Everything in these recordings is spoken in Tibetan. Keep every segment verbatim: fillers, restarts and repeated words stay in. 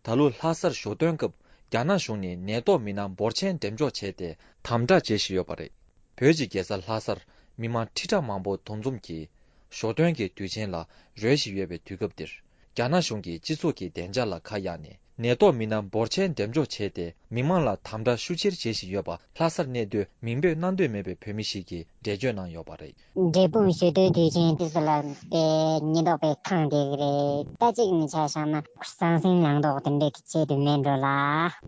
ད་ལོ་ལྷ་སར་ཞོ་སྟོན་སྐབས་རྒྱ་ནག་གཞུང་ནས་ནད་ཐོག་མི་སྣ་འབོར་ཆེན་འགྲེམས་འཇོག་བྱས་ཏེ་དམ་དྲག་བྱེད་བཞིན་ཡོད་པ་རེད། བོད་ཀྱི་རྒྱལ་ས་ལྷ་སར་མི་མང་ཁྲི་ཕྲག་མང་པོ་འདུ་འཛོམས་ཀྱིས་ཞོ་སྟོན་གྱི་དུས་ཆེན་ལ་རོལ་བཞིན་ཡོད་པའི་དུས་སྐབས་འདིར། རྒྱ་ནག་གཞུང་གིས་སྤྱི་ཚོགས་ཀྱི་བདེ་འཇགས་ལ་ཁ་གཡར་ནས་ནད་ཐོག་མི་སྣ་འབོར་ཆེན་འགྲེམས་འཇོག་བྱས་ཏེ་མི་མང་ལ་དམ་དྲག་ཤུགས་ཆེར་བྱེད་བཞིན་ཡོད་པ་ལྷ་སར་གནས་སྡོད་མིང་འབོད་གནང་འདོད་མེད་པའི་བོད་མི་ཞིག་གིས་འགྲེལ་བརྗོད་གནང་ཡོད་པ་རེད། འབྲས་སྤུངས་ཞོ་སྟོན་དུས་ཆེན་དུས་སུ་ལ་དེ་ཉེན་རྟོག་པས་ཁེངས་བསྡད་ཀྱི་རེད། ད་གཅིག་ནས་ཆ་བཞག་ན་ཟང་ཟིང་ལངས་དོགས་དེ་འདྲའི་གི་ཆེད་དུ་མེད་འགྲོ་ལ།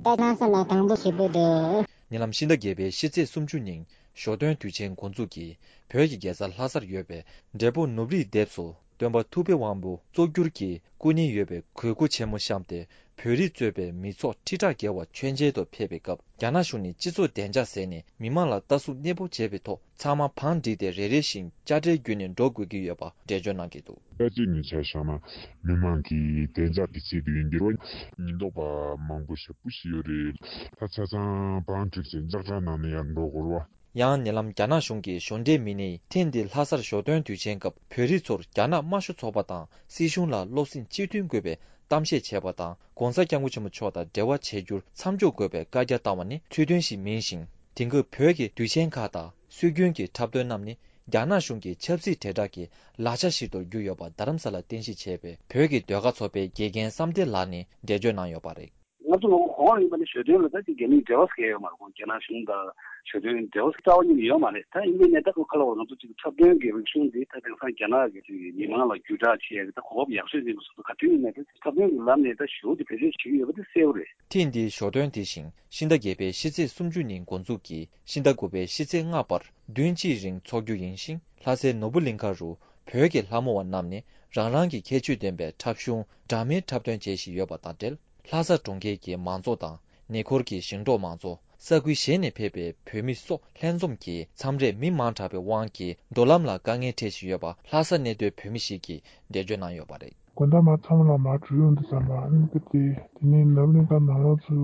ད་ལྷ་ས་ལ་དང་པོ་ཞེ་པོ་འདུག་ཉེ་ལམ་ཕྱི་ཟླ་བརྒྱད་པའི་ཕྱི་ཚེས་སུམ་ཅུ་ཉིན་ཞོ་སྟོན་དུས་ཆེན་འགོ་འཛུགས་ཀྱིས་བོད་ཀྱི་རྒྱལ་ས་ལྷ་སར་ཡོད་པའི་འབྲས་སྤུངས་ནུབ་རིའི་ལྡེབས་སུ་སྟོན་པ་ཐུབ་པའི་དབང་པོ་གཙོ་གྱུར་གྱི་སྐུ་བརྙན་ཡོད་པའི་གོས་སྐུ་ཆེན་མོ་བཤམས་ཏེ་བོད་རིགས་གཙོས་པའི་མི་ཚོགས་ཁྲི་ཕྲག་བརྒལ་བ་མཆོད་མཇལ་དུ་ཕེབས་པའི་སྐབས། རྒྱ་ནག་གཞུང་ནས་སྤྱི་ཚོགས་བདེ་འཇགས་ཟེར་ནས་མི་མང་ལ་ལྟ་སྲུང་གནས་སྤོ་བྱས་པའི་ཐོག་ཚང་མ་བང་བསྒྲིགས་ཏེ་རེ་རེ་བཞིན་དཔྱ་ཁྲལ་བརྒྱུད་ནས་འགྲོ་དགོས་ཀྱི་ཡོད་པ་འགྲེལ་བརྗོད་གནང་གི་འདུག་ད་གཅིག་ནས་ཆ་བཞག་ན་མི་མང་གི་བདེ་འཇགས་ཀྱི་ཆེད་དུ་ཡིན་གྱི་རེད། ཉེན་རྟོག་པ་མང་པོ་ཞེ་པོ་ཞིག་ཡོད་རེད། ད་ཆ་ཚང་བང་བསྒྲིགས་བྱས་ལྕགས་དྲ་ནང་ནས་ཡར་འགྲོ་དགོས་རེད་བ། ཡང་ཉེ་ལམ་རྒྱ་ནག་གཞུང་གི་ཞོ་འབྲེག་མི་སྣས་ཐེངས་འདིའི་ལྷ་སར་ཞོ་སྟོན་དུས་ཆེན་སྐབས་བོད་རིགས་ཚོར་རྒྱ་ནག་དམར་ཤོག་ཚོགས་པ་དང་སྲིད་གཞུང་ལ་བློ་སེམས་གཅིག་མཐུན་དགོས་པའི་གཏམ་བཤད་བྱས་པ་དང་། ྋགོང་ས་ྋསྐྱབས་མགོན་ཆེན་པོ་མཆོག་དང་འབྲེལ་བ་བྱེད་རྒྱུར་མཚམས་འཇོག་དགོས་པའི་བཀའ་རྒྱ་བཏང་བ་ནི་ཚུལ་མཐུན་ཞིག་མིན་ཞིང་། དེང་སྐབས་བོད་ཀྱི་དུས་ཆེན་ཁག་དང་སྲོལ་རྒྱུན་གྱི་འཁྲབ་སྟོན་རྣམས་ནི་རྒྱ་ནག་གཞུང་གི་ཆབ་སྲིད་དྲིལ་བསྒྲགས་ཀྱི་ལག་ཆ་ཞིག་ཏུ་གྱུར་ཡོད་པ་རྡ་རམ་ས་ལར་རྟེན་གཞི་བྱས་པའི་བོད་ཀྱི་ཟློས་གར་ཚོགས་པའི་དགེ་རྒན་བསམ་གཏན་ལགས་ནས་འགྲེལ་བརྗོད་གནང་ཡོད་པ་རེད། ང་ཚོ་ལོ་གོང་ལ་ཡིན་པ་ནི་ཞོ་སྟོན་ལ་ད་ཅིག་རྒྱ་མིའི་འབྲེལ་བ་ཟེར་ཡོད་མ་རེད། ཁོང་རྒྱ་ནག་གཞུང་དང་ཞོ་སྟོན་འབྲེལ་བ་རྩ་བ་ཉིད་ནས་ཡོད་མ་རེད། ད་ཡིན་པའི་ནས་ད་ཁོ་ཁ་ལ་བ་ང་ཚོ་ཅིག་འཁྲབ་སྟོན་གྱི་རིག་གཞུང་འདི་ད་དེང་སང་རྒྱ་ནག་གི་ཅིག་མི་མང་ལ་བརྒྱུད་བསྒྲགས་བྱེད་ཡག་གི་ད་གོ་སྐབས་ཡག་ཤོས་ཡིན་པ་སོགས་ག་དུས་ཡིན་ནའི་ད་འཁྲབ་སྟོན་གྱི་ལམ་ནས་ད་ཞོ་དེ་བེད་སྤྱོད་བྱེད་ཀྱི་ཡོད་པ་དེ་གསལ་པོ་རེད། ཐེངས་འདིའི་ཞོ་སྟོན་དེ་བཞིན་ཕྱི་ཟླ་བརྒྱད་པའི་ཕྱི་ཚེས་སུམ་ཅུ་ཉིན་འགོ་འཛུགས་ཀྱིས་ཕྱི་ཟླ་དགུ་པའི་ཕྱི་ཚེས་ལྔ་བར་བདུན་གཅིག་རིང་འཚོགས་རྒྱུ་ཡིན་ཞིང་། ལྷ་སའི་ནོར་བུ་གླིང་ཁ་རུ་བོད་ཀྱི་ལྷ་མོ་བ་རྣམས་ནས་རང་རང་གི་ཁྱད་ཆོས་ལྡན་པའི་འཁྲབ་གཞུང་འདྲ་མིན་འཁྲབ་སྟོན་བྱེད་བཞིན་ཡོད་པ་དང་འབྲེལ། ལྷ་ས་གྲོང་ཁྱེར་གྱི་མང་ཚོགས་དང་ཉེ་འཁོར་གྱི་ཞིང་འབྲོག་མང་ཚོགས། ས་ཁུལ་གཞན་ནས་ཕེབས་པའི་བོད་མི་སོགས་ལྷན་འཛོམས་ཀྱིས་མཚམས་རེ་མི་མང་དྲགས་པའི་དབང་གིས་འགྲོ་ལམ་ལ་དཀའ་ངལ་འཕྲད་བཞིན་ཡོད་པ་ལྷ་སར་གནས་སྡོད་བོད་མི་ཞིག་གིས་འགྲེལ་བརྗོད་གནང་ཡོད་པ་རེད། དགོང་དག་མ་ཚང་མ་ལ་མར་འགྲོ་ཡོང་དུས་ཙམ་པ་ཨ་ནི་དེ་དེ་ནས་ནོར་བུ་གླིང་ཁ་ནང་ལོགས་ཚུར་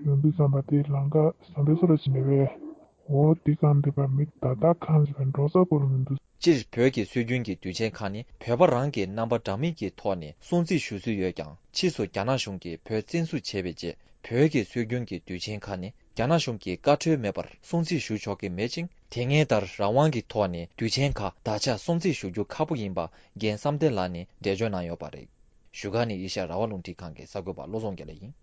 ཡོང་དུས་ཙམ་པ་དེ་ལམ་ཁ་བཟང་པོའི་བཟོ་འདྲ་ཞིག་མེད་པས། འོ་དེ་གང་འདི་པ་མི་ད་ལྟ་གང་ཞིག་པའི་འགྲོ་ས་སྐོར་མི་འདུག་སྤྱིར་བོད་ཀྱི་སྲོལ་རྒྱུན་གྱི་དུས་ཆེན་ཁག་ནི་བོད་པ་རང་གི་རྣམ་པ་འདྲ་མིན་གྱི་ཐོག་ནས་སྲུང་བརྩི་ཞུ་སྲོལ་ཡོད་ཀྱང་། ཕྱིས་སུ་རྒྱ་ནག་གཞུང་གིས་བོད་བཙན་བཟུང་བྱས་པའི་རྗེས། བོད་ཀྱི་སྲོལ་རྒྱུན་གྱི་དུས་ཆེན་ཁག་ནི་རྒྱ་ནག་གཞུང་གི་བཀའ་འཁྲོལ་མེད་པར་སྲུང་བརྩི་ཞུ་ཆོག་གི་མེད་ཅིང་། དེ་སྔའི་ལྟར་རང་དབང་གི་ཐོག་ནས་དུས་ཆེན་ཁག་ད་ཆ་སྲུང་བརྩི་ཞུ་རྒྱུ་ཁག་པོ་ཡིན་པ་རྒན་བསམ་གཏན་ལགས་ནས་འགྲེལ་བརྗོད་གནང་ཡོད་པ་རེད། བཞུགས་སྒར་ནས་ཨེ་ཤ་ཡ་རང་དབང་རླུང་འཕྲིན་ཁང་གི་གསར་འགོད་པ་བློ་བཟང་དགེ་ལེགས་ཡིན།